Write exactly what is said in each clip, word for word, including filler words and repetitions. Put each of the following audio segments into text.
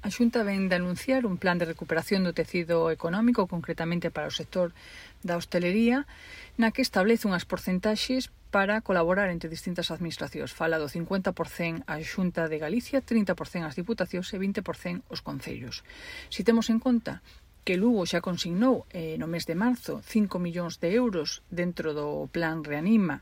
A Xunta vén de anunciar un plan de recuperación do tecido económico, concretamente para o sector da hostelería, na que establece unhas porcentaxes para colaborar entre distintas administracións. Fala do cincuenta por cento a Xunta de Galicia, trinta por cento as diputacións e vinte por cento os concellos. Si temos en conta que Lugo xa consignou eh, no mes de marzo cinco millóns de euros dentro do plan Reanima,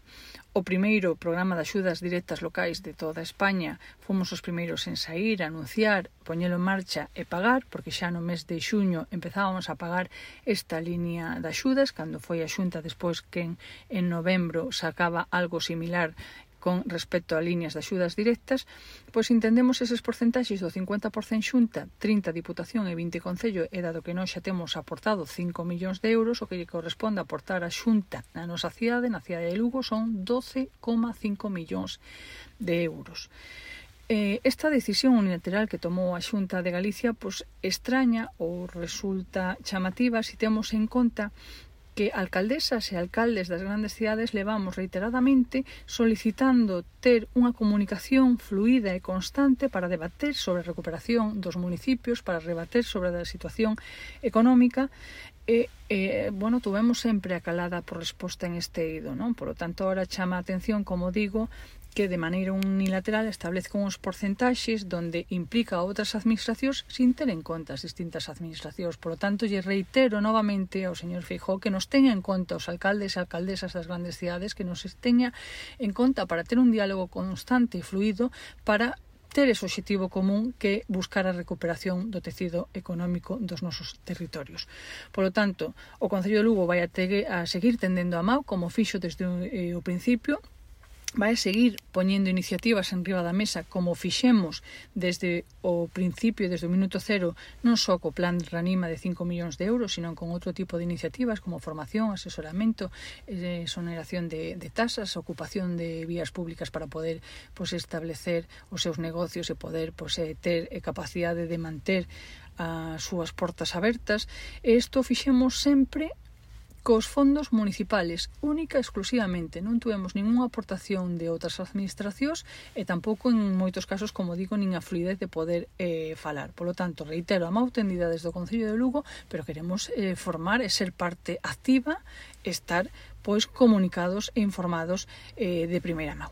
o primeiro programa de axudas directas locais de toda España, fomos os primeiros en sair, anunciar, poñelo en marcha e pagar, porque xa no mes de xuño empezábamos a pagar esta línea de axudas, cando foi a Xunta despois que en, en novembro sacaba algo similar con respecto a líneas de axudas directas, pois entendemos eses porcentaxes do cincuenta por cento Xunta, trinta Diputación e vinte Concello, e dado que nós xa temos aportado cinco millóns de euros, o que lle corresponde aportar a Xunta na nosa cidade, na cidade de Lugo, son doce coma cinco millóns de euros. Eh, esta decisión unilateral que tomou a Xunta de Galicia pois extraña ou resulta chamativa se temos en conta que alcaldesas e alcaldes das grandes cidades levamos reiteradamente solicitando ter unha comunicación fluida e constante para debater sobre a recuperación dos municipios, para debater sobre a situación económica e, e bueno, tuvemos sempre a calada por resposta en este eido, non? Por lo tanto, ahora chama a atención, como digo, que de maneira unilateral establezca uns porcentaxes donde implica a outras administracións sin ter en conta as distintas administracións. Por lo tanto, lle reitero novamente ao señor Feijóo que nos teña en conta os alcaldes e alcaldesas das grandes cidades, que nos teña en conta para ter un diálogo constante e fluido para ter ese objetivo común que buscar a recuperación do tecido económico dos nosos territorios. Por lo tanto, o Concello de Lugo vai a, te, a seguir tendendo a mau, como fixo desde o, o principio, vai seguir poñendo iniciativas en riba da mesa como fixemos desde o principio, desde o minuto cero, non só co plan Reanima de cinco millóns de euros, sino con outro tipo de iniciativas como formación, asesoramento, eh, exoneración de, de tasas, ocupación de vías públicas para poder pues, establecer os seus negocios e poder pues, eh, ter eh, capacidade de manter as súas portas abertas. E isto fixemos sempre cos fondos municipales, única e exclusivamente. Non tuvemos ninguna aportación de outras administracións e tampouco en moitos casos, como digo, nin a fluidez de poder eh, falar. Por lo tanto, reitero, a mau tendida desde o Concello de Lugo, pero queremos eh, formar e ser parte activa, estar pois comunicados e informados eh, de primeira mão.